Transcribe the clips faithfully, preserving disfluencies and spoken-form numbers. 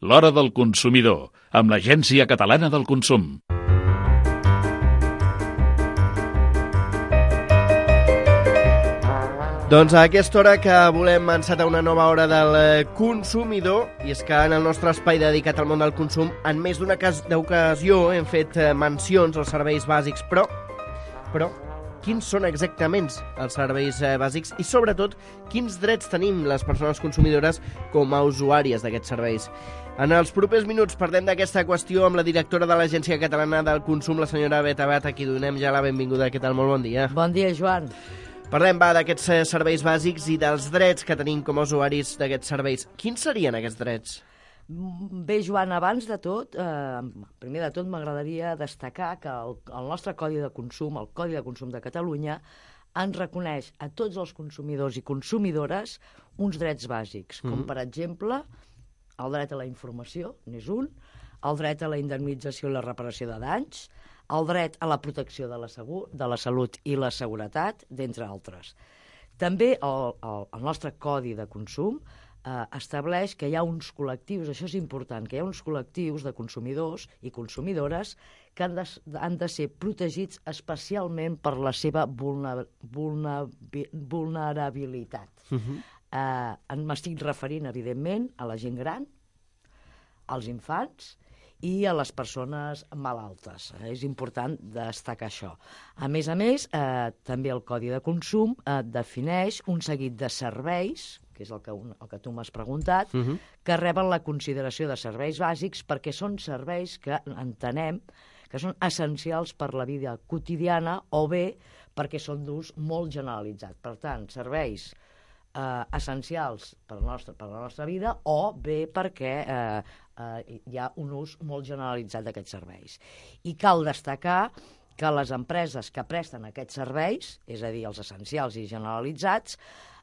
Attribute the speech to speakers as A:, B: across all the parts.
A: L'Hora del Consumidor, amb l'Agència Catalana del Consum.
B: Doncs a aquesta hora que volem encetar una nova hora del consumidor, i és que en el nostre espai dedicat al món del consum, en més d'una ocasió hem fet mencions als serveis bàsics, però, però quins són exactament els serveis bàsics i, sobretot, quins drets tenim les persones consumidores com a usuàries d'aquests serveis. En els propers minuts parlem d'aquesta qüestió amb la directora de l'Agència Catalana del Consum, la senyora Beth Abad, a qui donem ja la benvinguda. Què tal? Molt bon dia.
C: Bon dia, Joan.
B: Parlem, va, d'aquests serveis bàsics i dels drets que tenim com a usuaris d'aquests serveis. Quins serien aquests drets?
C: Bé, Joan, abans de tot, eh, primer de tot m'agradaria destacar que el, el nostre Codi de Consum, el Codi de Consum de Catalunya, ens reconeix a tots els consumidors i consumidores uns drets bàsics, com, mm-hmm. per exemple, el dret a la informació, n'és un, el dret a la indemnització i la reparació de danys, el dret a la protecció de la, segur, de la salut i la seguretat, d'entre altres. També el, el, el nostre Codi de Consum eh, estableix que hi ha uns col·lectius, això és important, que hi ha uns col·lectius de consumidors i consumidores que han de, han de ser protegits especialment per la seva vulner, vulner, vulnerabilitat. Uh-huh. Eh, m'estic referint, evidentment, a la gent gran, als infants i a les persones malaltes. És important destacar això. A més a més, eh, també el Codi de Consum eh, defineix un seguit de serveis, que és el que, un, el que tu m'has preguntat, uh-huh. que reben la consideració de serveis bàsics perquè són serveis que entenem que són essencials per la vida quotidiana o bé perquè són d'ús molt generalitzat. Per tant, serveis eh, essencials per la, nostra, per la nostra vida o bé perquè eh, eh, hi ha un ús molt generalitzat d'aquests serveis. I cal destacar que les empreses que presten aquests serveis, és a dir, els essencials i generalitzats,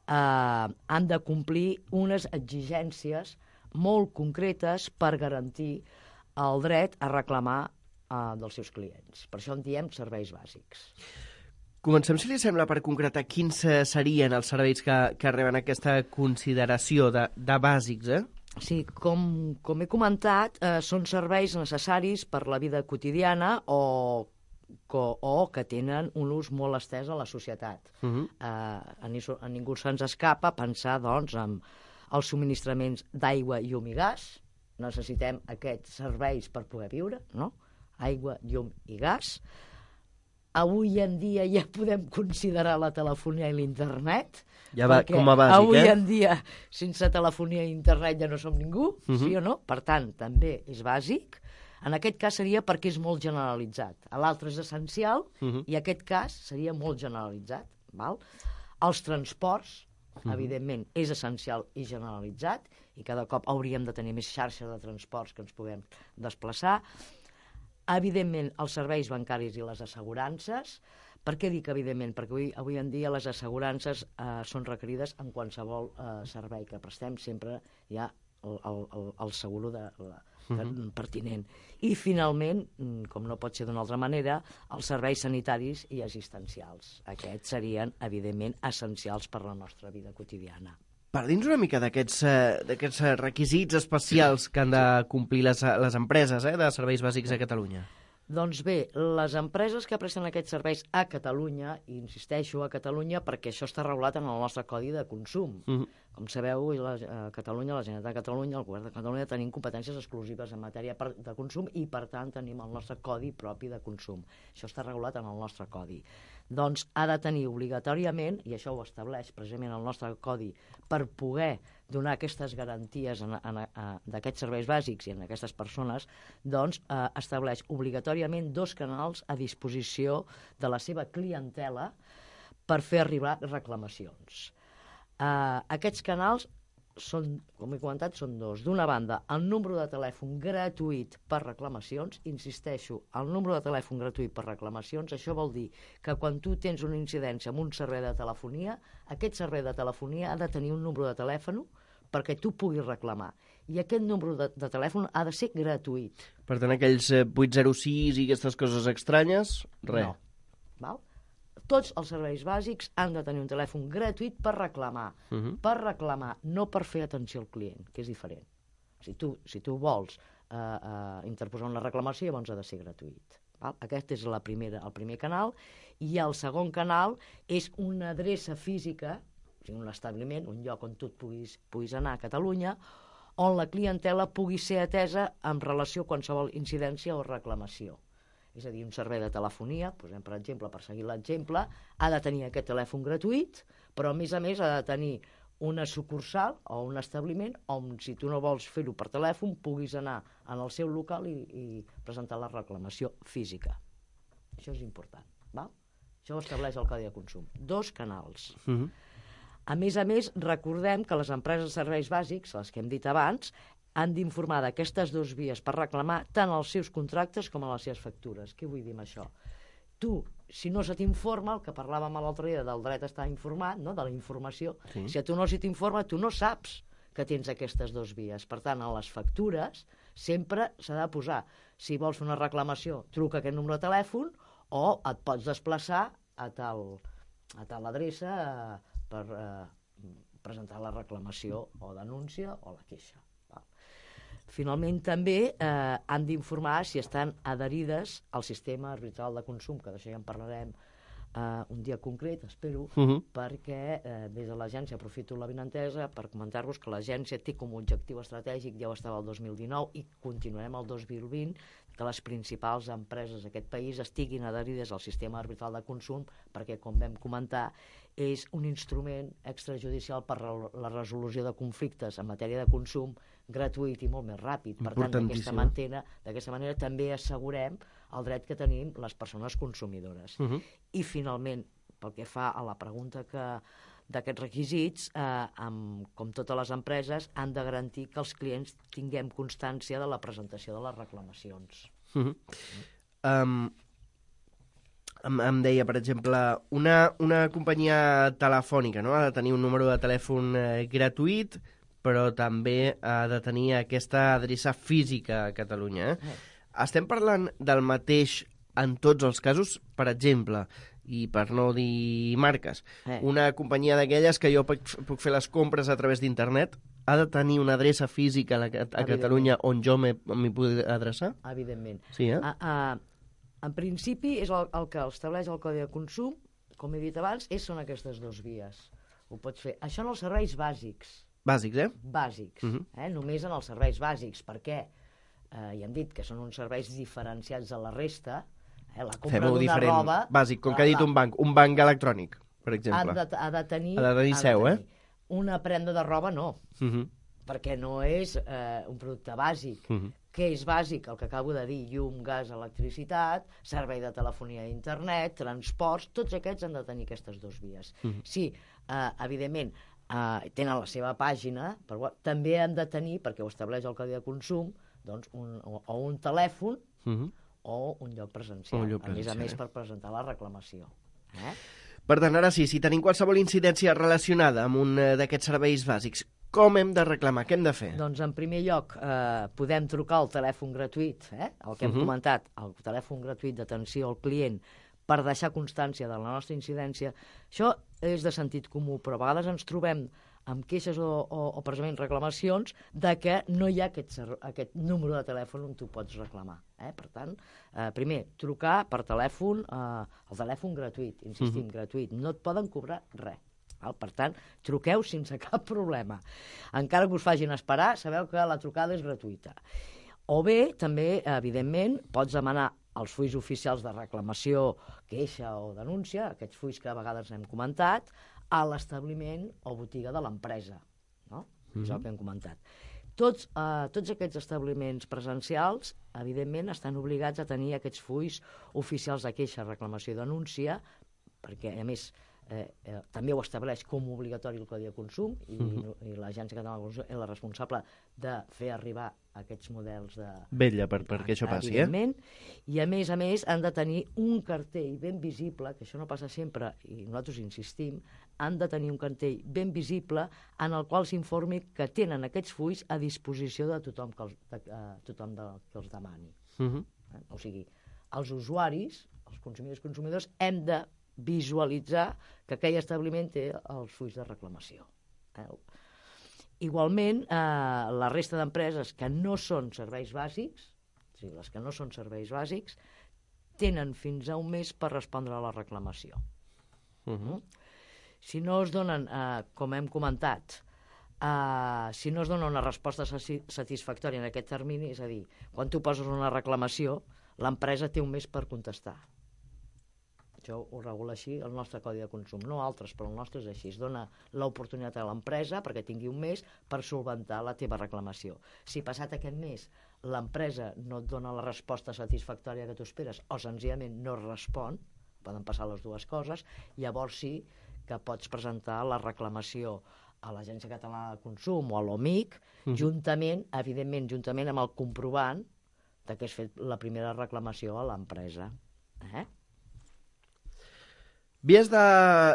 C: eh, han de complir unes exigències molt concretes per garantir el dret a reclamar eh, dels seus clients. Per això en diem serveis bàsics.
B: Comencem, si li sembla, per concretar quins serien els serveis que, que reben aquesta consideració de, de bàsics, eh?
C: Sí, com, com he comentat, eh, són serveis necessaris per la vida quotidiana o, o, o que tenen un ús molt estès a la societat. Uh-huh. eh, a, ni, a ningú se'ns escapa pensar, doncs, en els subministraments d'aigua, llum i gas. Necessitem aquests serveis per poder viure, no? Aigua, llum i gas. Avui en dia ja podem considerar la telefonia i l'internet.
B: Ja va com a bàsic,
C: avui
B: eh?
C: Avui en dia, sense telefonia i internet ja no som ningú, uh-huh. sí o no? Per tant, també és bàsic. En aquest cas seria perquè és molt generalitzat. L'altre és essencial uh-huh. i aquest cas seria molt generalitzat. Val? Els transports, uh-huh. evidentment, és essencial i generalitzat i cada cop hauríem de tenir més xarxa de transports que ens puguem desplaçar. Evidentment, els serveis bancaris i les assegurances. Per què dic evidentment? Perquè avui, avui en dia les assegurances eh, són requerides en qualsevol eh, servei que prestem. Sempre hi ha el, el, el seguro de, la, de, uh-huh. pertinent. I, finalment, com no pot ser d'una altra manera, els serveis sanitaris i assistencials. Aquests serien, evidentment, essencials per la nostra vida quotidiana.
B: Parli'ns una mica d'aquests eh, requisits especials que han de complir les, les empreses eh, de serveis bàsics a Catalunya.
C: Doncs bé, les empreses que presten aquests serveis a Catalunya, i insisteixo a Catalunya perquè això està regulat en el nostre Codi de Consum. Uh-huh. Com sabeu, la, a Catalunya, la Generalitat de Catalunya, el Govern de Catalunya, tenim competències exclusives en matèria de consum i, per tant, tenim el nostre Codi propi de consum. Això està regulat en el nostre Codi. Doncs ha de tenir obligatòriament, i això ho estableix precisament el nostre Codi, per poder donar aquestes garanties en, en, en, d'aquests serveis bàsics i en aquestes persones, doncs eh, estableix obligatòriament dos canals a disposició de la seva clientela per fer arribar reclamacions. Eh, aquests canals són, com he comentat, són dos. D'una banda, el número de telèfon gratuït per reclamacions. Insisteixo, el número de telèfon gratuït per reclamacions, això vol dir que quan tu tens una incidència amb un servei de telefonia, aquest servei de telefonia ha de tenir un número de telèfon perquè tu puguis reclamar. I aquest número de, de telèfon ha de ser gratuït.
B: Per tant, aquells vuit zero sis i aquestes coses estranyes, res.
C: No. Val? Tots els serveis bàsics han de tenir un telèfon gratuït per reclamar. Uh-huh. Per reclamar, no per fer atenció al client, que és diferent. Si tu, si tu vols eh, eh, interposar una reclamació, llavors ha de ser gratuït. Val? Aquest és la primera, el primer canal. I el segon canal és una adreça física, o sigui, un establiment, un lloc on tu et puguis, puguis anar a Catalunya, on la clientela pugui ser atesa en relació a qualsevol incidència o reclamació. És a dir, un servei de telefonia, posem per exemple, per seguir l'exemple, ha de tenir aquest telèfon gratuït, però a més a més ha de tenir una sucursal o un establiment on, si tu no vols fer-ho per telèfon, puguis anar en el seu local i, i presentar la reclamació física. Això és important. Val? Això ho estableix el Codi de Consum. Dos canals. Uh-huh. A més a més, recordem que les empreses de serveis bàsics, les que hem dit abans, han d'informar d'aquestes dues vies per reclamar tant els seus contractes com a les seves factures. Què vull dir amb això? Tu, si no se t'informa, el que parlàvem l'altre dia del dret a estar informat, no? De la informació, sí. Si a tu no se t'informa, tu no saps que tens aquestes dues vies. Per tant, a les factures sempre s'ha de posar, si vols fer una reclamació, truca aquest número de telèfon o et pots desplaçar a tal, a tal adreça eh, per eh, presentar la reclamació o denúncia o la queixa. Finalment, també eh, han d'informar si estan adherides al sistema arbitral de consum, que d'això ja en parlarem eh, un dia concret, espero, uh-huh. perquè eh, des de l'agència aprofito la benentesa per comentar-vos que l'agència té com a objectiu estratègic, ja ho estava el dos mil dinou i continuarem el dos mil vint, que les principals empreses d'aquest país estiguin adherides al sistema arbitral de consum, perquè, com vam comentar, és un instrument extrajudicial per la resolució de conflictes en matèria de consum gratuït i molt més ràpid. Per tant, d'aquesta manera, d'aquesta manera també assegurem el dret que tenim les persones consumidores. Uh-huh. I, finalment, pel que fa a la pregunta que d'aquests requisits, eh, amb, com totes les empreses, han de garantir que els clients tinguem constància de la presentació de les reclamacions.
B: Uh-huh. Um, em, em deia, per exemple, una, una companyia telefònica, no? Ha de tenir un número de telèfon eh, gratuït, però també ha de tenir aquesta adreça física a Catalunya. Eh? Eh. Estem parlant del mateix en tots els casos, per exemple, i per no dir marques, eh. una companyia d'aquelles que jo puc, puc fer les compres a través d'internet, ha de tenir una adreça física a, la, a Catalunya on jo m'hi pugui adreçar?
C: Evidentment.
B: Sí, eh?
C: A, a, en principi, és el, el que estableix el Codi de Consum, com he dit abans, és, són aquestes dues vies. Ho pots fer. Això en els serveis bàsics.
B: Bàsics, eh?
C: Bàsics. Uh-huh. eh? Només en els serveis bàsics. Per què? Eh, ja hem dit que són uns serveis diferenciats de la resta. Eh? La compra
B: Fem-ho
C: d'una
B: diferent.
C: roba...
B: Bàsic, com la, que ha dit un banc. Un banc electrònic, per exemple.
C: Ha de, ha de tenir...
B: Ha de tenir seu, eh?
C: Una prenda de roba, no.
B: Uh-huh.
C: Perquè no és eh, un producte bàsic. Uh-huh. Què és bàsic? El que acabo de dir, llum, gas, electricitat, servei de telefonia i internet, transports, tots aquests han de tenir aquestes dues vies. Uh-huh. Sí, eh, evidentment, eh, tenen la seva pàgina, però també han de tenir, perquè ho estableix el Codi de Consum, doncs un, o, o un telèfon uh-huh. o un lloc presencial, un lloc presencial, a més a més per presentar la reclamació. Eh?
B: Per tant, ara sí, si tenim qualsevol incidència relacionada amb un d'aquests serveis bàsics, com hem de reclamar? Què hem de fer?
C: Doncs, en primer lloc, eh, podem trucar al telèfon gratuït, eh? el que hem uh-huh. comentat, el telèfon gratuït d'atenció al client, per deixar constància de la nostra incidència. Això és de sentit comú, però a vegades ens trobem amb queixes o, o, o precisament reclamacions de que no hi ha aquest, aquest número de telèfon on tu pots reclamar. Eh? Per tant, eh, primer, trucar per telèfon, eh, el telèfon gratuït, insistim, uh-huh. gratuït, no et poden cobrar res. Val? Per tant, truqueu sense cap problema. Encara que us facin esperar, sabeu que la trucada és gratuïta. O bé, també, evidentment, pots demanar els fulls oficials de reclamació, queixa o denúncia, aquests fulls que a vegades hem comentat, a l'establiment o botiga de l'empresa. No? Mm-hmm. És el que hem comentat. Tots, eh, tots aquests establiments presencials, evidentment, estan obligats a tenir aquests fulls oficials de queixa, reclamació i denúncia, perquè, a més, eh, eh, també ho estableix com a obligatori el Codi de Consum i, mm-hmm. i l'Agència Catalana de Consum és la responsable de fer arribar aquests models de...
B: Vetlla per, perquè això passi, eh?
C: I, a més a més, han de tenir un cartell ben visible, que això no passa sempre, i nosaltres insistim, han de tenir un cartell ben visible en el qual s'informi que tenen aquests fulls a disposició de tothom que els, de, uh, tothom de, que els demani. Uh-huh. eh? O sigui, els usuaris, els consumidors i consumidors, hem de visualitzar que aquell establiment té els fulls de reclamació. Eh? Igualment, eh, la resta d'empreses que no són serveis bàsics, o sigui, les que no són serveis bàsics, tenen fins a un mes per respondre a la reclamació. Uh-huh. Si no es donen, eh, com hem comentat, eh, si no es dona una resposta satisfactòria en aquest termini, és a dir, quan tu poses una reclamació, l'empresa té un mes per contestar. Això ho regula així el nostre codi de consum, no altres, però el nostre és així. Es dona l'oportunitat a l'empresa perquè tingui un mes per solventar la teva reclamació. Si passat aquest mes l'empresa no et dona la resposta satisfactòria que tu esperes o senzillament no respon, poden passar les dues coses, llavors sí que pots presentar la reclamació a l'Agència Catalana de Consum o a l'O M I C, uh-huh. juntament, evidentment, juntament amb el comprovant de que has fet la primera reclamació a l'empresa. Eh?
B: Vies de,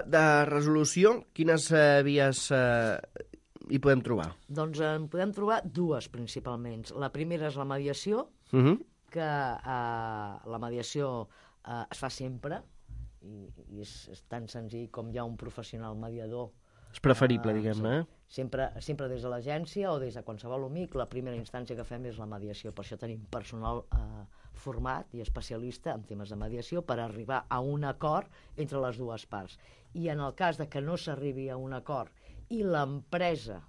B: de resolució, quines eh, vies eh, hi podem trobar?
C: Doncs en podem trobar dues, principalment. La primera és la mediació,
B: uh-huh.
C: que eh, la mediació eh, es fa sempre, i, i és, és tan senzill com hi ha un professional mediador.
B: És preferible,
C: eh,
B: diguem-ne.
C: Sí. Sempre, sempre des de l'agència o des de qualsevol O M I C, la primera instància que fem és la mediació. Per això tenim personal eh, format i especialista en temes de mediació per arribar a un acord entre les dues parts. I en el cas de que no s'arribi a un acord i l'empresa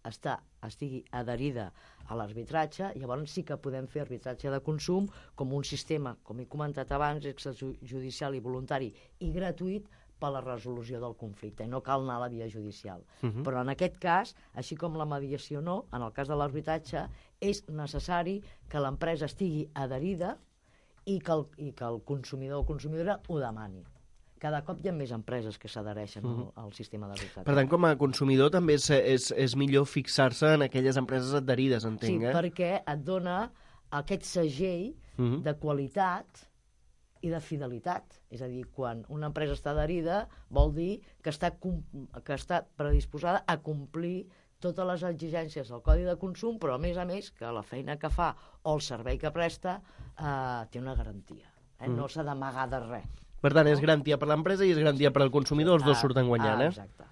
C: està, estigui adherida a l'arbitratge, llavors sí que podem fer arbitratge de consum com un sistema, com he comentat abans, extrajudicial i voluntari i gratuït per a la resolució del conflicte, i no cal anar a la via judicial. Uh-huh. Però en aquest cas, així com la mediació no, en el cas de l'arbitratge, és necessari que l'empresa estigui adherida i que el, i que el consumidor o consumidora ho demani. Cada cop hi ha més empreses que s'adhereixen uh-huh. al, al sistema d'arbitratge.
B: Per tant, com a consumidor també és, és, és millor fixar-se en aquelles empreses adherides, entenc,
C: sí,
B: eh?
C: perquè et dona aquest segell uh-huh. de qualitat i de fidelitat. És a dir, quan una empresa està adherida vol dir que està, que està predisposada a complir totes les exigències del Codi de Consum, però a més a més que la feina que fa o el servei que presta eh, té una garantia. Eh? Mm. No s'ha d'amagar de res.
B: Per tant, és garantia per l'empresa i és garantia per al consumidor, els dos
C: ah,
B: surten guanyant,
C: ah,
B: eh?
C: Exacte.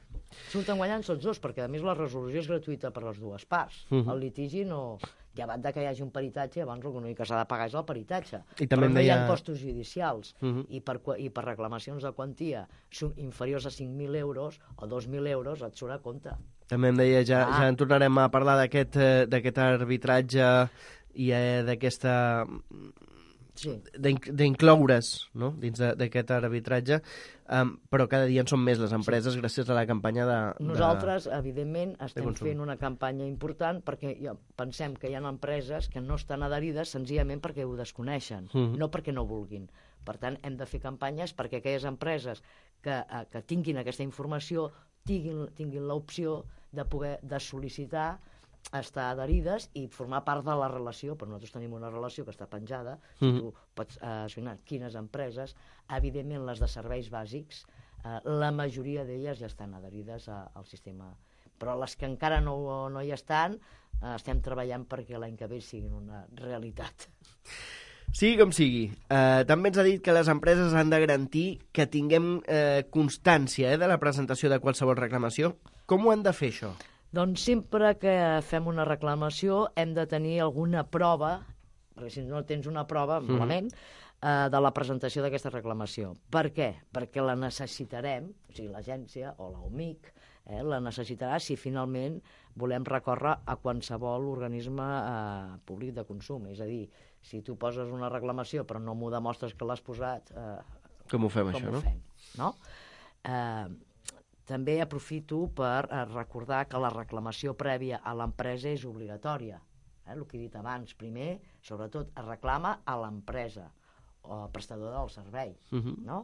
C: Surten guanyant tots dos, perquè a més la resolució és gratuïta per les dues parts. Uh-huh. El litigi no... Llevat de que hi hagi un peritatge, abans l'únic que s'ha de pagar és el peritatge.
B: I també
C: però no
B: deia...
C: hi ha costos judicials.
B: Uh-huh.
C: I, per, I per reclamacions de quantia inferiors a cinc mil euros o dos mil euros et surt a compte.
B: També em deia, ja, ah. ja en tornarem a parlar d'aquest d'aquest arbitratge i eh, d'aquesta... Sí. d'incloure's, no?, dins d'aquest arbitratge, um, però cada dia en són més les empreses sí. gràcies a la campanya de...
C: Nosaltres,
B: de,
C: evidentment, estem fent una campanya important perquè ja pensem que hi ha empreses que no estan adherides senzillament perquè ho desconeixen, mm-hmm. no perquè no vulguin. Per tant, hem de fer campanyes perquè aquelles empreses que, eh, que tinguin aquesta informació tinguin, tinguin l'opció de poder de sol·licitar estar adherides i formar part de la relació, però nosaltres tenim una relació que està penjada, si mm-hmm. tu pots eh, assinar quines empreses, evidentment les de serveis bàsics, eh, la majoria d'elles ja estan adherides a, al sistema, però les que encara no, no hi estan, eh, estem treballant perquè l'any que ve siguin una realitat.
B: Sigui com sigui, eh, també ens ha dit que les empreses han de garantir que tinguem eh, constància eh, de la presentació de qualsevol reclamació. Com ho han de fer, això?
C: Doncs sempre que fem una reclamació hem de tenir alguna prova, perquè si no tens una prova, mm. malament, eh, de la presentació d'aquesta reclamació. Per què? Perquè la necessitarem, o sigui, l'agència o l'O M I C, eh, la necessitarà si finalment volem recórrer a qualsevol organisme eh, públic de consum. És a dir, si tu poses una reclamació però no m'ho demostres que l'has posat... Eh,
B: com ho fem,
C: com
B: això,
C: ho
B: no?
C: Fem, no? Eh, També aprofito per recordar que la reclamació prèvia a l'empresa és obligatòria. Eh? El que he dit abans, primer, sobretot, es reclama a l'empresa o al prestador del servei. Uh-huh. No?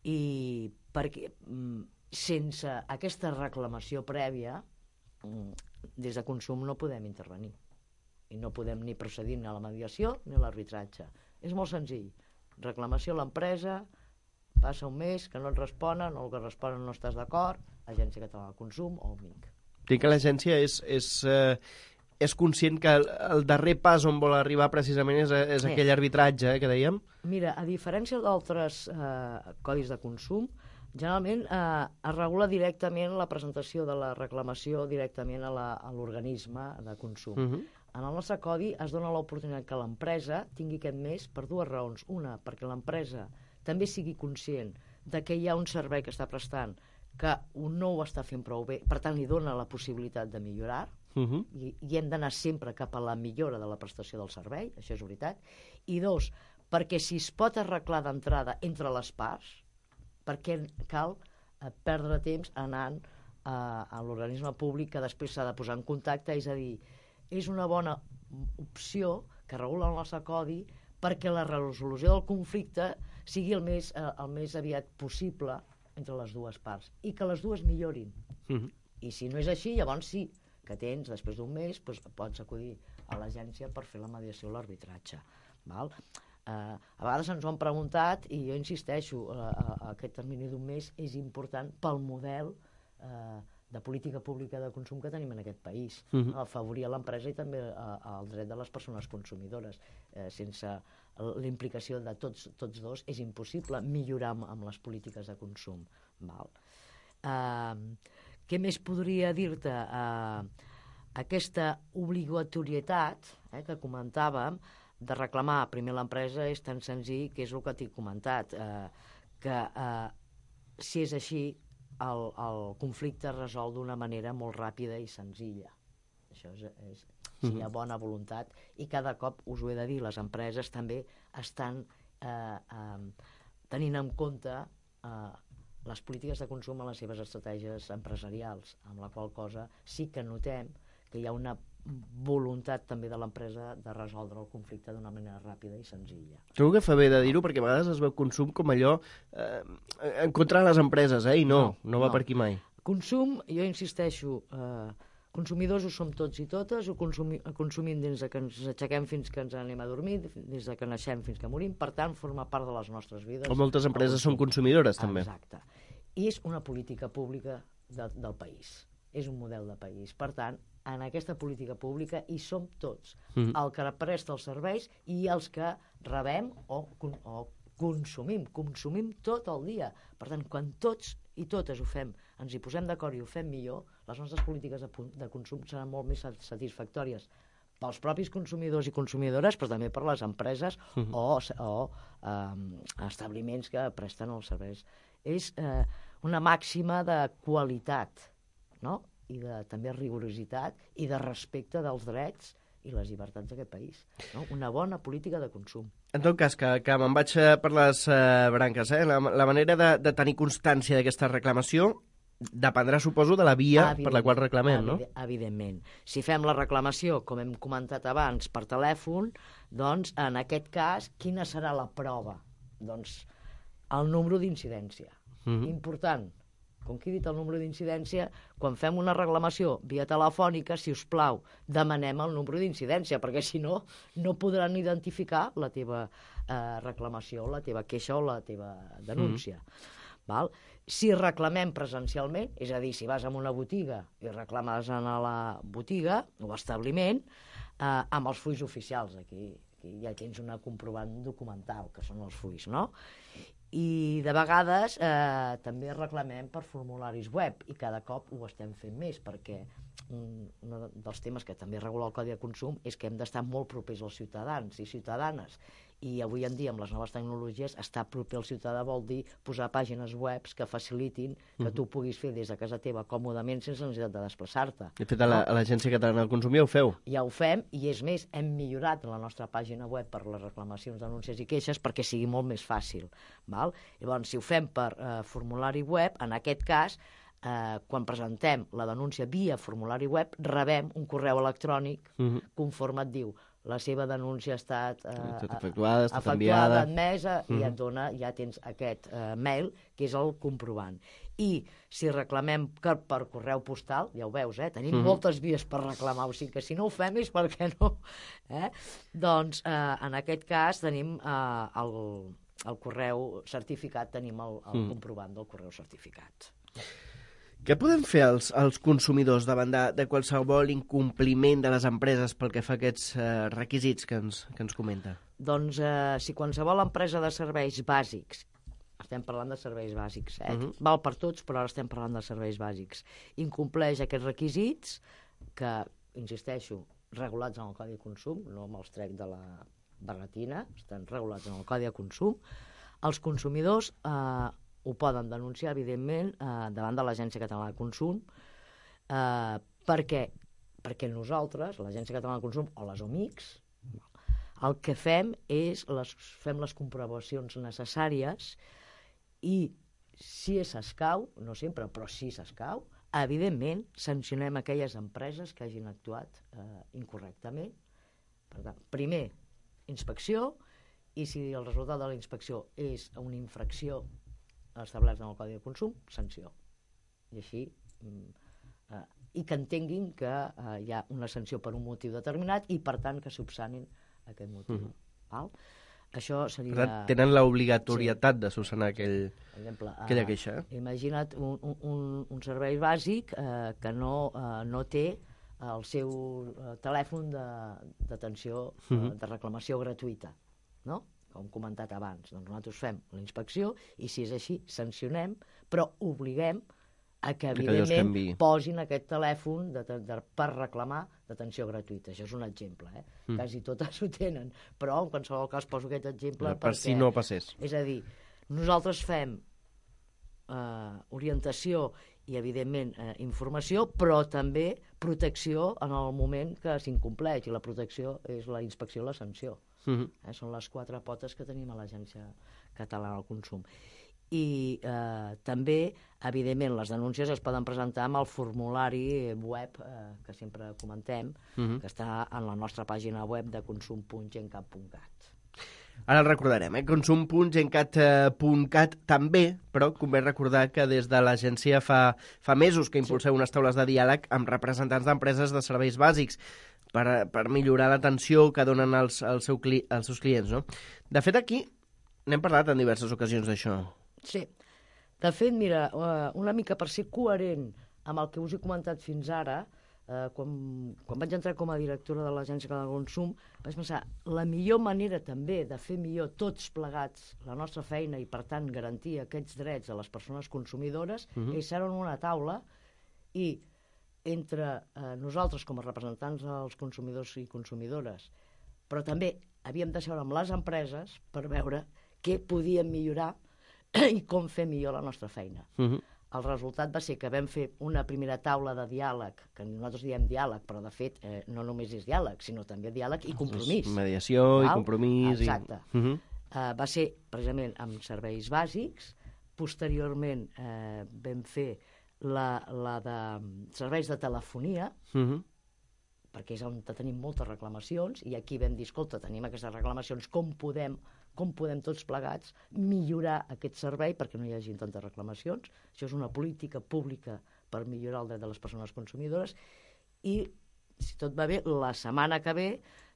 C: I perquè sense aquesta reclamació prèvia, des de consum no podem intervenir. I no podem ni procedir ni a la mediació ni a l'arbitratge. És molt senzill. Reclamació a l'empresa... Passa un mes que no et responen, o el que responen no estàs d'acord, Agència Catalana de Consum o O M I C.
B: Dic que l'agència és, és, eh, és conscient que el, el darrer pas on vol arribar precisament és, és sí. aquell arbitratge eh, que dèiem?
C: Mira, a diferència d'altres eh, codis de consum, Generalment eh, es regula directament la presentació de la reclamació directament a la- a l'organisme de consum.
B: Uh -huh.
C: En el nostre codi es dona l'oportunitat que l'empresa tingui aquest mes per dues raons. Una, perquè l'empresa també sigui conscient de que hi ha un servei que està prestant que no ho està fent prou bé, per tant li dona la possibilitat de millorar,
B: Uh -huh.
C: i, i hem d'anar sempre cap a la millora de la prestació del servei, això és veritat. I dos, perquè si es pot arreglar d'entrada entre les parts, perquè cal eh, perdre temps anant a, a l'organisme públic que després s'ha de posar en contacte, és a dir, és una bona opció que regula el nostre codi perquè la resolució del conflicte sigui el més, eh, el més aviat possible entre les dues parts i que les dues millorin.
B: Uh -huh.
C: I si no és així, llavors sí que tens, després d'un mes, doncs, pots acudir a l'agència per fer la mediació o l'arbitratge. Val? Eh, a vegades ens ho han preguntat i jo insisteixo, eh, eh, aquest termini d'un mes és important pel model eh, de política pública de consum que tenim en aquest país.
B: Uh -huh.
C: Afavorir l'empresa i també eh, el dret de les persones consumidores. Eh, sense la implicació de tots, tots dos és impossible millorar amb, amb les polítiques de consum. Val? Eh, què més podria dir-te? Eh, aquesta obligatorietat eh, que comentàvem de reclamar primer l'empresa és tan senzill que és el que t'he comentat, eh, que eh, si és així el, el conflicte es resol d'una manera molt ràpida i senzilla. Això és, és si hi ha bona voluntat, i cada cop, us ho he de dir, les empreses també estan eh, eh, tenint en compte eh, les polítiques de consum en les seves estratègies empresarials, amb la qual cosa sí que notem que hi ha una voluntat també de l'empresa de resoldre el conflicte d'una manera ràpida i senzilla.
B: Trobo que fa bé de dir-ho, perquè a vegades es veu consum com allò eh, en contra de les empreses, eh? I no, no, no va
C: no.
B: per aquí mai.
C: Consum, jo insisteixo, eh, consumidors ho som tots i totes, ho consumi, consumim des de que ens aixequem fins que ens anem a dormir, des de que naixem fins que morim, per tant, forma part de les nostres vides.
B: O moltes empreses són consumidores, també.
C: Exacte. I és una política pública de, del país. És un model de país. Per tant, en aquesta política pública hi som tots. Mm. El que presta els serveis i els que rebem o, o consumim. Consumim tot el dia. Per tant, quan tots i totes ho fem, ens hi posem d'acord i ho fem millor, les nostres polítiques de, de consum seran molt més satisfactòries pels propis consumidors i consumidores, però també per les empreses mm-hmm. o, o eh, establiments que presten els serveis. És eh, una màxima de qualitat, no? I de també rigorositat i de respecte dels drets i les llibertats d'aquest país. No? Una bona política de consum.
B: En tot cas, que, que me'n vaig per les uh, branques, eh? La, la manera de, de tenir constància d'aquesta reclamació dependrà, suposo, de la via per la qual reclamem, no?
C: Evidentment. Si fem la reclamació, com hem comentat abans, per telèfon, doncs, en aquest cas, quina serà la prova? Doncs el número d'incidència. Mm-hmm. Important. Com que he dit el número d'incidència, quan fem una reclamació via telefònica, si us plau, demanem el número d'incidència, perquè si no, no podran identificar la teva eh, reclamació, la teva queixa o la teva denúncia. Mm. Val? Si reclamem presencialment, és a dir, si vas a una botiga i reclames a la botiga o establiment, eh, amb els fulls oficials, aquí, aquí ja tens una comprovant documental, que són els fulls, no? I de vegades eh, també reclamem per formularis web i cada cop ho estem fent més perquè un dels temes que també regula el Codi de Consum és que hem d'estar molt propers als ciutadans i ciutadanes, i avui en dia amb les noves tecnologies estar proper al ciutadà vol dir posar pàgines web que facilitin que mm. tu puguis fer des de casa teva còmodament sense necessitat de desplaçar-te.
B: De fet, a l'Agència Catalana del Consum ja ho feu.
C: Ja ho fem, i és més, hem millorat la nostra pàgina web per les reclamacions, denúncies i queixes perquè sigui molt més fàcil. Val? Llavors, si ho fem per eh, formulari web, en aquest cas, eh, quan presentem la denúncia via formulari web, rebem un correu electrònic mm-hmm. conforme et diu la seva denúncia ha estat eh,
B: efectuada, ha estat
C: efectuada,
B: enviada,
C: admesa, mm-hmm. i et dona, ja tens aquest eh, mail, que és el comprovant. I si reclamem per, per correu postal, ja ho veus, eh? Tenim mm-hmm. moltes vies per reclamar, o sigui que si no ho fem és perquè no. Eh? Doncs eh, en aquest cas tenim eh, el, el correu certificat, tenim el, el mm. comprovant del correu certificat.
B: Què podem fer els, els consumidors davant de, de qualsevol incompliment de les empreses pel que fa a aquests eh, requisits que ens, que ens comenta?
C: Doncs eh, si qualsevol empresa de serveis bàsics, estem parlant de serveis bàsics, eh?
B: Uh-huh.
C: Val per tots, però ara estem parlant de serveis bàsics. Incompleix aquests requisits que, insisteixo, regulats en el Codi de Consum, no me'ls trec de la barretina, estan regulats en el Codi de Consum. Els consumidors eh, ho poden denunciar, evidentment, eh, davant de l'Agència Catalana de Consum, eh, perquè, perquè nosaltres, l'Agència Catalana de Consum o les O M I Cs, el que fem és les, fem les comprovacions necessàries i si s'escau, no sempre, però si s'escau, evidentment sancionem aquelles empreses que hagin actuat eh, incorrectament. Per tant, primer, inspecció, i si el resultat de la inspecció és una infracció establerta en el Codi de Consum, sanció. I així, eh, i que entenguin que eh, hi ha una sanció per un motiu determinat i, per tant, que subsanin aquest motiu. Uh-huh. Val? Això seria...
B: Per tant, tenen l'obligatorietat sí. de subsanar aquell,
C: exemple,
B: aquella queixa. Eh?
C: Imagina't un, un, un servei bàsic eh, que no, eh, no té el seu eh, telèfon d'atenció, de, uh-huh. eh, de reclamació gratuïta, no? Com comentat abans. Doncs nosaltres fem la inspecció i, si és així, sancionem, però obliguem a que, evidentment, que posin aquest telèfon de, de, de, per reclamar d'atenció gratuïta. Això és un exemple, eh? Mm. Quasi totes ho tenen, però en qualsevol cas poso aquest exemple
B: per
C: perquè...
B: si no passés.
C: És a dir, nosaltres fem eh, orientació i, evidentment, eh, informació, però també protecció en el moment que s'incompleix, i la protecció és la inspecció i la sanció. Mm-hmm. eh, són les quatre potes que tenim a l'Agència Catalana del Consum. I eh, també, evidentment, les denúncies es poden presentar amb el formulari web eh, que sempre comentem, uh-huh. que està en la nostra pàgina web de consum punt gencat punt cat.
B: Ara el recordarem, eh? consum punt gencat punt cat també, però convé recordar que des de l'agència fa, fa mesos que impulseu sí. unes taules de diàleg amb representants d'empreses de serveis bàsics per, per millorar l'atenció que donen als, als, seu cli, als seus clients. No? De fet, aquí n'hem parlat en diverses ocasions d'això.
C: Sí. De fet, mira, una mica per ser coherent amb el que us he comentat fins ara, eh, quan, quan vaig entrar com a directora de l'Agència Catalana de Consum, vaig pensar, la millor manera també de fer millor tots plegats la nostra feina i, per tant, garantir aquests drets a les persones consumidores uh-huh. és ser en una taula i entre eh, nosaltres com a representants dels consumidors i consumidores, però també havíem de seure amb les empreses per veure què podíem millorar i com fer millor la nostra feina. Uh-huh. El resultat va ser que vam fer una primera taula de diàleg, que nosaltres diem diàleg, però de fet eh, no només és diàleg, sinó també diàleg i compromís.
B: Mediació Val? I compromís.
C: Exacte.
B: I... Uh-huh.
C: uh, va ser precisament amb serveis bàsics. Posteriorment eh, vam fer la, la de serveis de telefonia, uh-huh. perquè és on tenim moltes reclamacions, i aquí vam dir, escolta, tenim aquestes reclamacions, com podem com podem tots plegats millorar aquest servei perquè no hi hagi tantes reclamacions. Això és una política pública per millorar el dret de les persones consumidores i, si tot va bé, la setmana que ve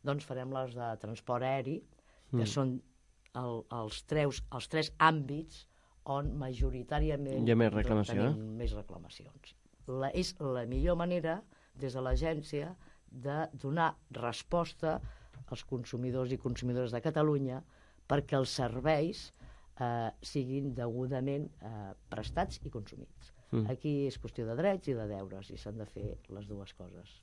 C: doncs farem les de transport aeri, que mm. són el, els, treus, els tres àmbits on majoritàriament
B: hi ha més reclamació,
C: tenim
B: eh?
C: més reclamacions. La, és la millor manera, des de l'agència, de donar resposta als consumidors i consumidores de Catalunya perquè els serveis eh, siguin degudament eh, prestats i consumits. Mm. Aquí és qüestió de drets i de deures, i s'han de fer les dues coses.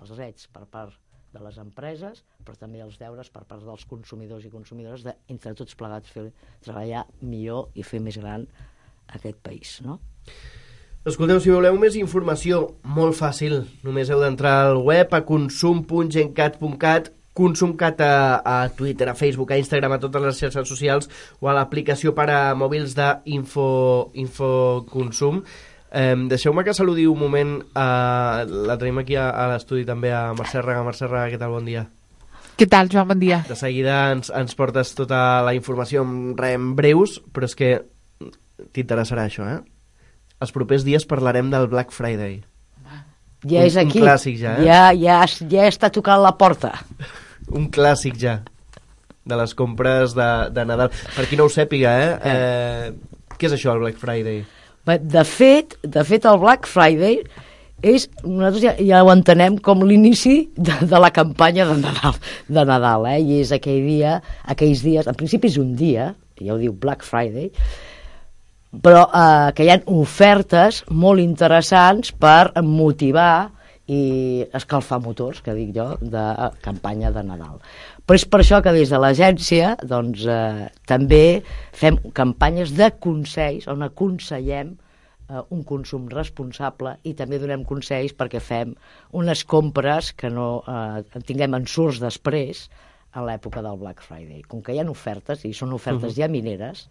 C: Els drets per part de les empreses, però també els deures per part dels consumidors i consumidores de, entre tots plegats, fer treballar millor i fer més gran aquest país, no?
B: Escolteu, si voleu més informació, molt fàcil. Només heu d'entrar al web a consum punt gencat punt cat, ConsumCat a, a Twitter, a Facebook, a Instagram, a totes les xarxes socials o a l'aplicació per a mòbils d'Info Infoconsum. Eh, Deixeu-me que saludi un moment, eh, la tenim aquí a, a l'estudi també, a Mercè Raga. Mercè Raga, què tal? Bon dia.
D: Què tal, Joan? Bon dia.
B: De seguida ens, ens portes tota la informació en, en breus, però és que t'interessarà això, eh? Els propers dies parlarem del Black Friday.
C: Ja és aquí.
B: Un clàssic ja, eh?
C: Ja, ja, ja està tocant la porta.
B: Un clàssic ja de les compres de, de Nadal. Per qui no ho sàpiga, eh? eh què és això, el Black Friday?
C: De fet, de fet el Black Friday és, nosaltres ja, ja ho entenem com l'inici de, de la campanya de Nadal, de Nadal, eh? I és aquell dia, aquells dies, en principi és un dia, ja ho diu Black Friday, però eh, que hi ha ofertes molt interessants per motivar i escalfar motors, que dic jo, de campanya de Nadal. Però és per això que des de l'agència doncs, eh, també fem campanyes de consells on aconsellem eh, un consum responsable i també donem consells perquè fem unes compres que no eh, tinguem ensurts després a l'època del Black Friday. Com que hi ha ofertes, i són ofertes
B: Uh-huh.
C: ja mineres,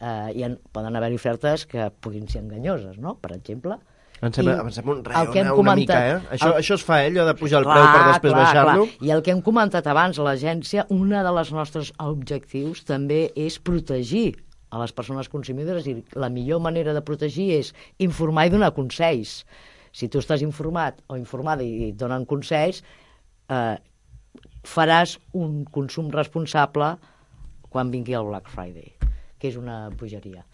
C: eh, hi ha, poden haver ofertes que puguin ser enganyoses, no? Per exemple,
B: Em sembla,
C: I
B: em sembla un
C: el
B: reu,
C: que hem
B: una, una
C: comentat-
B: mica, eh? Això,
C: el-
B: això es fa, eh? Allò de pujar el preu per després baixar-lo.
C: I el que hem comentat abans, a l'agència, una de les nostres objectius també és protegir a les persones consumidores, i la millor manera de protegir és informar i donar consells. Si tu estàs informat o informada i et donen consells, eh, faràs un consum responsable quan vingui el Black Friday, que és una bogeria,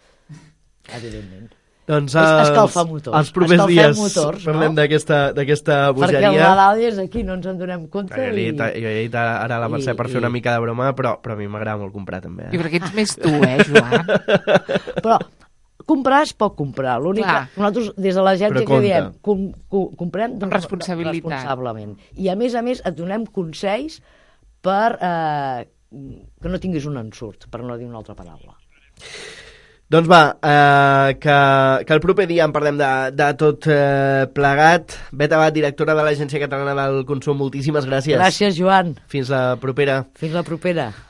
C: evidentment.
B: Doncs
C: És
B: els,
C: escalfar motors.
B: els propers
C: Escalfem
B: dies
C: motors, no?
B: parlem d'aquesta d'aquesta
C: Perquè el
B: bogeria.
C: Nadal és aquí, no ens en donem compte.
B: Jo he dit, jo he dit ara a la Mercè
C: i-
B: per fer
C: i-
B: una mica de broma, però, però a mi m'agrada molt comprar també.
D: I
B: Eh?
D: perquè ets més tu, eh, Joan?
C: Però comprar es pot comprar. L'únic
D: Clar.
C: que nosaltres, des de l'agència,
B: Però
C: que
B: compte.
C: diem, com, com, comprem
D: Amb responsabilitat.
C: responsablement. I a més a més et donem consells per eh, que no tinguis un ensurt, per no dir una altra paraula.
B: Doncs va, eh, que, que el proper dia en parlem de, de tot eh, plegat. Bet Abad, directora de l'Agència Catalana del Consum, moltíssimes gràcies.
C: Gràcies, Joan.
B: Fins la propera.
C: Fins la propera.